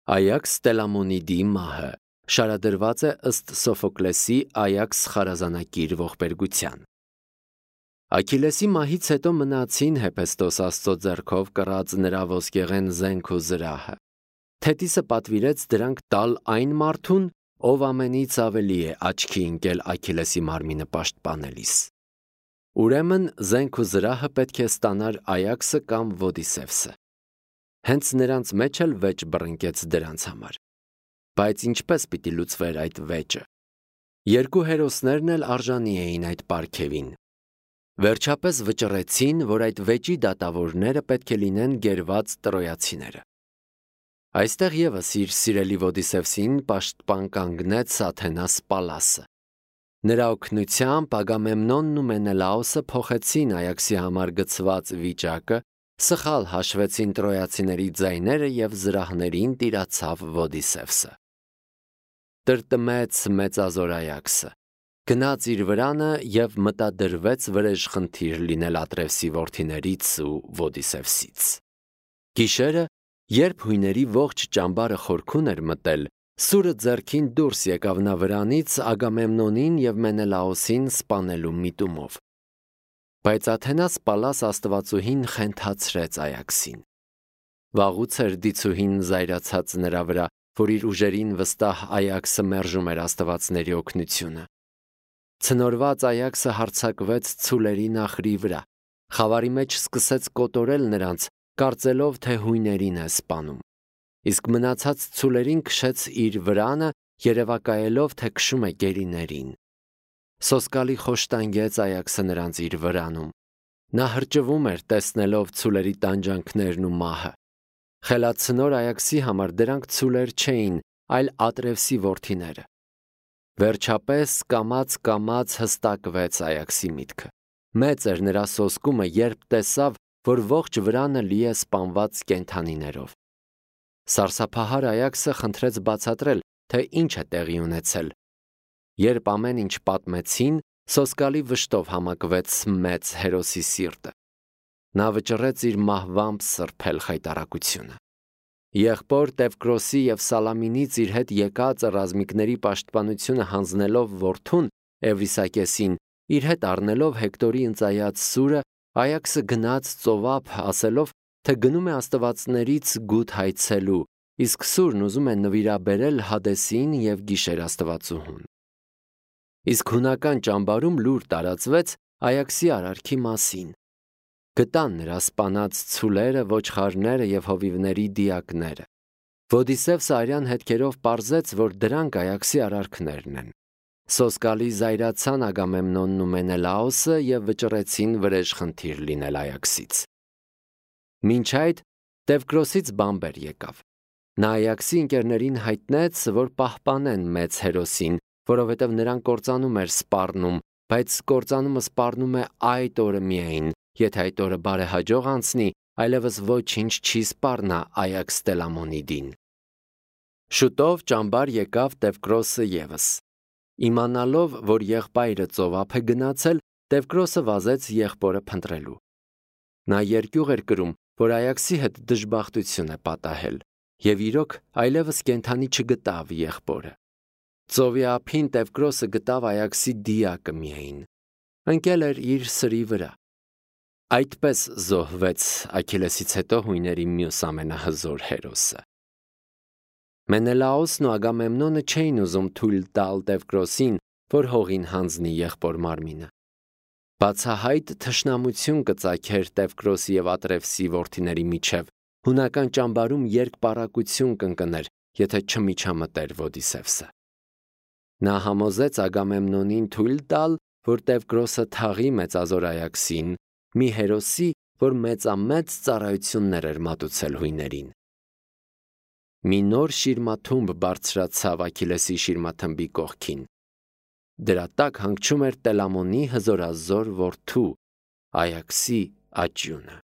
Այաքս Տելամոնիդի մահը շարադրված է ըստ Սոֆոկլեսի Այաքս խարազանակիր ողբերգության։ Աքիլեսի մահից հետո մնացին Հեփեստոս Աստծո ձեռքով կռած նրա ոսկեղեն զենք ու զրահը։ Թետիսը պատվիրեց դրանք տալ այն մարդուն, ով ամենից ավելի է աչքի ընկել Աքիլեսի մարմինը պաշտպանելիս։ Ուրեմն զենք ու զրահը պետք է ստանար Այաքսը կամ Ոդիսևսը։ Հենց նրանց մեջ էլ վեճ բռնկեց դրանց համար։ Բայց ինչպես պիտի լուծվեր այդ վեճը։ Երկու հերոսներն էլ արժանի էին այդ պարգևին։ Վերջապես վճռեցին, որ այդ վեճի դատավորները պետք է լինեն գերված տրոյացիները։ Այստեղ ևս իր սիրելի Ոդիսևսին պաշտպան կանգնեց Աթենաս Պալասը։ Նրա օգնությամբ Ագամեմնոնն ու Մենելաոսը փոխեցին Այաքսի համար գծված վիճակը, սխալ հաշվեցին տրոյացիների ձայները եւ զրահներին տիրացավ Ոդիսևսը։ Տրտմեց մեծազոր Այաքսը, գնաց իր վրանը եւ մտադրվեց վրեժխնդիր լինել Ատրևսի որդիներից ու Ոդիսևսից։ Գիշերը, երբ հույների ողջ ճամբարը խորքուն էր մտել, սուրը ձեռքին դուրս եկավ նա վրանից Ագամեմնոնին եւ Մենելաոսին սպանելու միտումով։ Բայց Աթենաս Պալաս աստվածուհին խենթացրեց Այաքսին։ Վաղուց էր դիցուհին զայրացած նրա վրա, որ իր ուժերին վստահ Այաքսը մերժում էր աստվածների օգնությունը։ Ցնորված Այաքսը հարձակվեց ցուլերի նախրի վրա, խավարի մեջ սկսեց կոտորել նրանց, կարծելով, թե հույներին է սպանում։ Իսկ մնացած ցուլերին քշեց իր վրանը, երևակայելով, թե քշում է գերիներին։ Սոսկալի խոշտանգեց Այաքսը նրանց իր վրանում։ Նա հրճվում էր, տեսնելով ցուլերի տանջանքներն ու մահը։ Խելացնոր Այաքսի համար դրանք ցուլեր չէին, այլ Ատրևսի որդիները։ Վերջապես կամաց հստակվեց Այաքսի միտքը։ Մեծ էր նրա սոսկումը, երբ տեսավ, որ ողջ վրանը լի է սպանված կենդանիներով։ Սարսափահար Այաքսը խնդրեց բացատրել, թե ինչ է տեղի ունեցել։ Երբ ամեն ինչ պատմեցին, սոսկալի վշտով համակվեց մեծ հերոսի սիրտը։ Նա վճռեց իր մահվամբ սրբել խայտառակությունը։ Եղբոր Տևկրոսի եւ Սալամինից իր հետ եկած ռազմիկների պաշտպանությունը հանձնելով որդուն Էվրիսակեսին, իր հետ առնելով Հեկտորի ընծայած սուրը, Այաքսը գնաց ծովափ, ասելով, թե գնում է աստվածներից գութ հայցելու, իսկ սուրն ուզում է նվիրաբերել Հադեսին եւ գիշեր աստվածուհուն։ Իսկ հունական ճամբարում լուր տարածվեց Այաքսի արարքի մասին։ Գտան նրա սպանած ցուլերը, ոչխարները եւ հովիվների դիակները։ Ոդիսևսը արյան հետքերով պարզեց, որ դրանք Այաքսի արարքներն են։ Սոսկալի զայրացան Ագամեմնոնն ու Մենելաոսը եւ վճռեցին վրեժխնդիր լինել Այաքսից։ Մինչ այդ Տևկրոսից բամբեր եկավ։ Նա Այաքսի ընկերներին հայտնեց, որ պահպանեն մեծ հերոսին, որովհետև նրան կործանում էր սպառնում, բայց կործանումը սպառնում է այդ օրը միայն, եթե այդ օրը բարեհաջող անցնի, այլևս ոչինչ չի սպառնա Այաքս Տելամոնիդին։ Շուտով ճամբար եկավ Տևկրոսը ևս։ Իմանալով, որ եղբայրը ծովափ է գնացել, Տևկրոսը վազեց եղբորը փնտրելու։ Նա երկյուղ էր կրում, որ Այաքսի հետ դժբախտություն է պատահել, եւ իրոք այլևս կենդանի չգտավ եղբորը։ Ծովի ափին Տևկրոսը գտավ Այաքսի դիակը միայն։ Ընկել էր իր սրի վրա։ Այդպես զոհվեց Աքիլեսից հետո հույների մյուս ամենահզոր հերոսը։ Մենելաոսն ու Ագամեմնոնը չէին ուզում թույլ տալ Տևկրոսին, որ հողին հանձնի եղբոր մարմինը։ Բացահայտ թշնամություն կծագեր Տևկրոսի եւ Ատրևսի որդիների միջև, հունական ճամբարում երկպառակություն կընկներ, եթե չմիջամտեր Ոդիսևսը։ Նա համոզեց Ագամեմնոնին թույլ տալ, որ Տևկրոսը թաղի մեծազոր Այաքսին, մի հերոսի, որ մեծամեծ ծառայություններ էր մատուցել հույներին։ Մի նոր շիրմաթումբ բարձրացավ Աքիլեսի շիրմաթմբի կողքին։ Դրա տակ հանգչում էր Տելամոնի հզորազոր որդու Այաքսի աճյունը։